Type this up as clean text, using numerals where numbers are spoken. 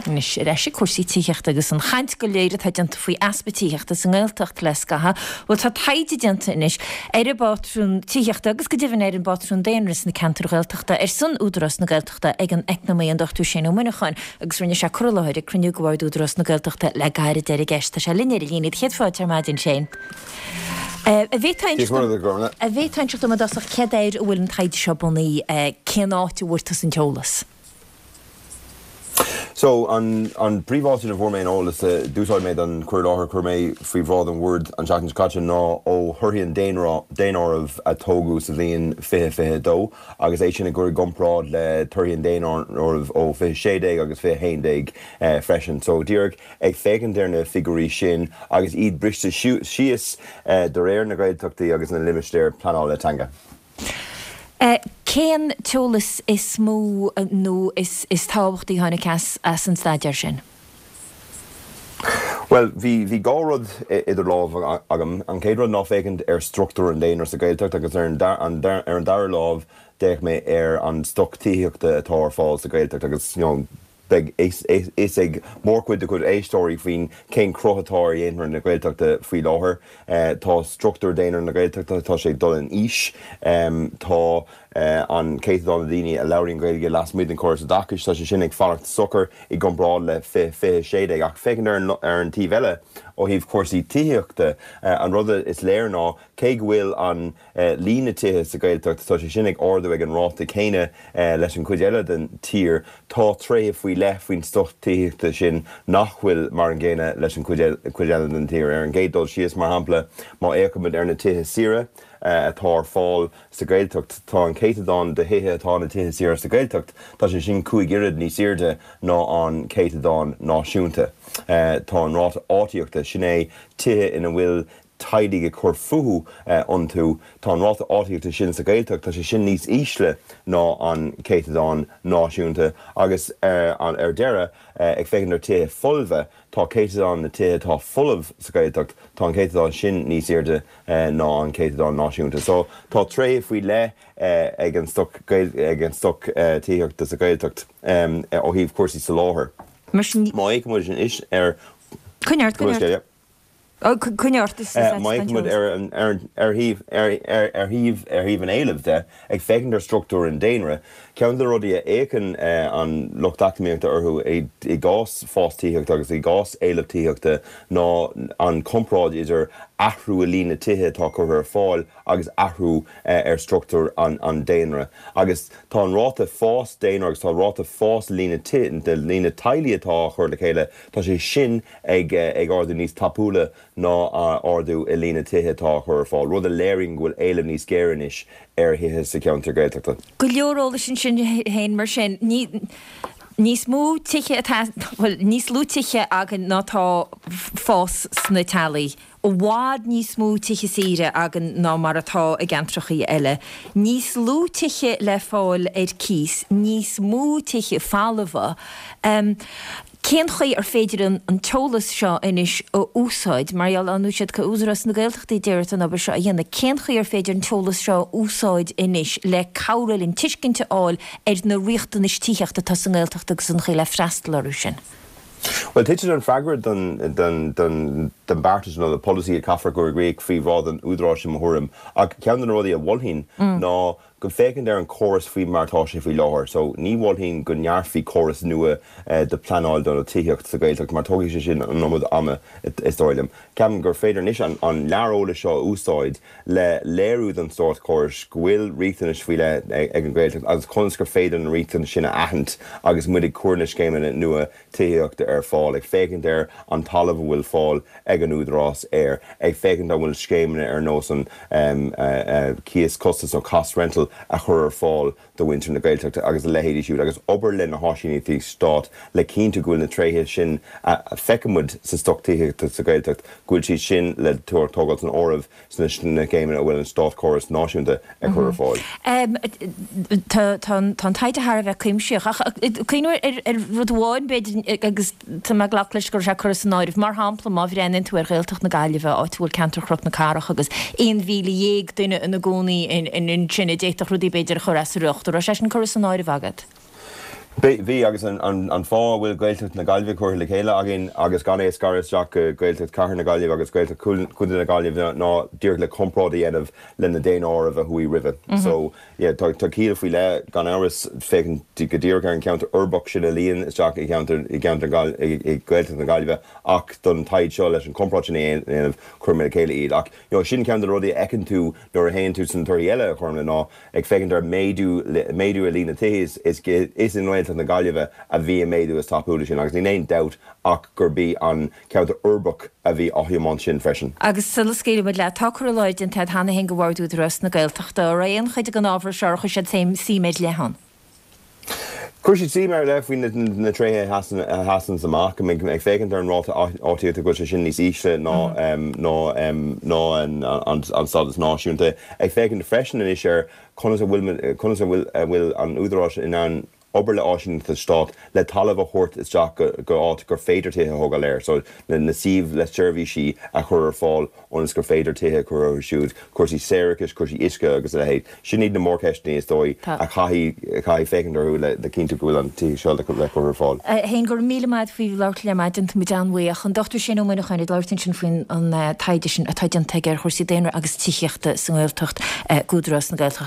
Anois ar ais ag cúrsaí tithíochta agus an chaint go léir atá déanta faoi easpa tithíochta sa nGaeltacht le scaitheamh. Bhuel, tá taighde déanta anois ar an bpátrún tithíochta agus go deimhin ar an bpátrún daonra sna ceantair Ghaeltachta ar son Údarás na Gaeltachta ag an eacnamaí an Dr Shane Ó Muineacháin agus rinne sé cur i láthair ag cruinniú de Bhord Údarás na Gaeltachta le gairid ar an gceist. Tá sé linn ar an líne. Céad fáilte ar maidin, Shane. An bhféadfá inseacht dom i dtosach céard air a bhfuil an taighde seo bunaithe, cén áit a bhfuair tusa an t-eolas? So, an an príomháit ina bhfuair mé an eolas a d'úsáid mé don chur i láthair a chuir mé faoi bhráid an bhoird an tseachtain seo caite ná ó thorthaí an daonáirimh a tógadh sa bhliain 2022 agus é sin a chur i gcomparáid le torthaí an daonáirimh ó 2016 agus 2011 freisin. So, díreach ag féachaint ar na figiúirí sin agus iad briste síos de réir na Gaeltachtaí agus na limistéar pleanála teanga. Cén t-eolas is mó nó is tábhachtaí a tháinig as an staidéar sin? Bhuel, bhí bhí dhá rud idir lámha agam. An chéad rud ná féachaint ar struchtúr an daonra sa Ghaeltacht agus ar an ar an dara lámh d'fhéach mé ar an stoc tithíochta atá ar fáil sa Ghaeltacht agus you know Beidh a fhios ag mórchuid de do chuid éisteoirí faoin cén cruth atá ar dhaonra na Gaeltachta faoi láthair. Tá struchtúr daonra na Gaeltachta, tá sé ag dul in aois. Tá an céatadán de dhaoine a labhraíonn Gaeilge lasmuigh den chóras oideachais, tá sé sin ag fanacht socair i gcomparáid le 2016. Ach féachaint ar an taobh eile, ó thaobh cúrsaí tithíochta, an rud is léir ná cé go bhfuil an líon na tithe sa Ghaeltacht, tá sé sin ag ardú ag an ráta céanna leis an chuid eile den tír. Tá tréithe faoi leith faoin stoc tithíochta sin nach bhfuil mar an gcéanna leis an chuid eile den tír. Ar an gcéad dul síos, mar shampla, má fhéachaimid ar na tithe saoire atá ar fáil sa Ghaeltacht, tá an céatadán de thithe atá ina dtithe saoire sa Ghaeltacht, tá sé sin 5 oiread níos airde ná an céatadán náisiúnta. Tá an ráta áitíochta, sin é tithe ina bhfuil teaghlaigh ag cur fúthu iontu. Tá an ráta áitíochta sin sa Ghaeltacht, tá sé sin níos ísle ná an céatadán náisiúnta agus ar deireadh, ag féachaint ar tithe folmha, tá céatadán na tithe atá folamh sa Ghaeltacht, tá an céatadán sin níos airde ná an céatadán náisiúnta. So tá tréithe faoi leith ag an stoc ag an stoc tithíochta sa Ghaeltacht ó thaobh cúrsaí soláthair. Mar sin. Má fhéachaimid anois ar. Coinnigh ort, coinnigh ort. Coinnigh ort, is Má fhéachaimid ar ar thaobh ar thaobh ar thaobh an éilimh de, ag féachaint ar struchtúr an daonra, ceann de na rudaí a fhéachann an lucht eacnamaíochta orthu i gcás fás tithíochta agus i gcás éileamh tithíochta ná an chomparáid idir athrú i líon na tithe atá curtha ar fáil agus athrú ar struchtúr an daonra. Agus tá an ráta fás daonra agus tá ráta fás líon na líon na teaghlaigh atá á chur le chéile, tá sé sin ag ardú níos tapúla ná ardú i líon na tithe atá á chur ar fáil, rud a léiríonn go bhfuil éileamh níos géire anois ar thithe sa cheantar Gaeltachta. Go leor eolais ansin féin mar sin. Ní níos mó tithe atá, bhuel, níos lú tithe againn ná atá fás sna teaghlaigh. I bhfad níos mó tithe saoire againn ná mar atá i gceantrachaí eile. Níos lú tithe le fáil ar cíos, níos mó tithe folmha. Cén chaoi ar féidir an t-eolas seo anois a úsáid, mar gheall ar ndóigh is iad Údarás na Gaeltachta a d'iarr ort an obair seo a dhéanamh, cén chaoi ar féidir an t-eolas seo a úsáid anois le cabhrú linn tuiscint a fháil ar na riachtanais tithíochta atá sa nGaeltacht agus an chaoi le freastal orthu sin? Bhuel, titeann an freagra don don beartas nó na polasaí a chaithfear a chur i gcrích faoi bhráid an Údaráis i mo thuairim. Ach ceann de na rudaí a mholfainn ná go féachaint ar an chóras faoi mar atá sé faoi láthair. So, ní mholfainn go ndearfaí córas nua de pleanáil do tithíocht sa Ghaeltacht mar tógfaidh sé sin an iomad ama is dóigh liom. Ceapaim gur féidir anois an lear eolais seo a úsáid le léiriú don státchóras go bhfuil riachtanais faoi leith ag an Ghaeltacht agus conas gur féidir na riachtanais sin a aithint agus muid ag cur na scéimeanna nua tithíochta ar fáil, ag féachaint ar an talamh a bhfuil fáil ag an Údarás air, ag féachaint an bhfuil scéimeanna ar nós an cíos costais nó cost rental a chur ar fáil do mhuintir na Gaeltachta agus a leithéidí siúd agus obair le na háisíneachtaí stáit le cinntiú go bhfuil na tréithe sin a feicimid sa stoc tithíochta sa Ghaeltacht, go bhfuil siad sin le tógáil san áireamh sna scéimeanna a bhfuil an státchóras náisiúnta ag cur ar fáil. Tá an taighde thar a bheith cuimsitheach, ach cuimhnigh ar rud amháin, b'fhéidir, agus tá mé ag glacadh leis go raibh sé curtha san áireamh, mar shampla, má bhreathnaíonn tú ar Ghaeltacht na Gaillimhe, áit a bhfuil ceantar Chnoc na Cathrach agus 11,000 duine ina gcónaí ansin, a d'fhéadfadh rudaí, b'fhéidir, a chur as a riocht. An raibh sé sin curtha san áireamh agat? Bhí, agus an fáth a bhfuil Gaeltacht na Gaillimhe curtha le chéile againn agus gan é a scaradh isteach go Gaeltacht Chathair na Gaillimhe agus Gaeltacht Chontae na Gaillimhe ná díreach le comparáid a dhéanamh le na daonáirimh a chuaigh roimhe. So, yeah, tá ciall faoi leith, gan amhras, féachaint go díreach ar an cheantar uirbeach sin a luíonn isteach i gceantar, i gceantar, i Gaeltacht na Gaillimhe ach don taighde seo leis an chomparáid sin a dhéanamh, chuir mé le chéile iad. Ach, you know, sin ceann de na rudaí a fheiceann tú nuair a théann tú sna torthaí eile a Chormaic ná ag féachaint ar méadú méadú i líon na tithe is is i nGaeltacht na Gaillimhe a bhí an méadú is tapúla sin agus níl aon dabht ach gurb í an ceantar uirbeach a bhí á thiomáint sin freisin. Agus sula scaoilfidh muid leat, tá cur i láthair déanta agat cheana féin do Bhord Údarás na Gaeltachta. An raibh aon chuid den ábhar seo ar chuir siad suim ar leith ann? Chuir siad suim ar leith faoi na tréithe a sheasann amach, ag féachaint ar an ráta áitíochta, go bhfuil sé sin níos ísle ná ná an stádas náisiúnta. Ag féachaint freisin anois ar conas a bhfuil conas a bhfuil a bhfuil an Údarás in ann obair le áisíneachtaí stáit le talamh a thabhairt isteach go áit gur féidir tithe a thógáil air, so na suímh le seirbhísí a chur ar fáil ionas gur féidir tithe a chur orthu siúd, cúrsaí séarachais, cúrsaí uisce agus a leithéid. Sin iad na mórcheisteanna is dóigh a chaithfidh féachaint orthu le cinntiú go bhfuil an tithíocht seo le cur ar fáil. A Shéain, go raibh míle maith agat faoi labhairt linn ar maidin, tá muid an-bhuíoch. An Dr Shane Ó Muineacháin ag labhairt ansin faoin an taighde sin atá déanta aige ar chúrsaí daonra agus tithíochta sa nGaeltacht d'Údarás na Gaeltachta.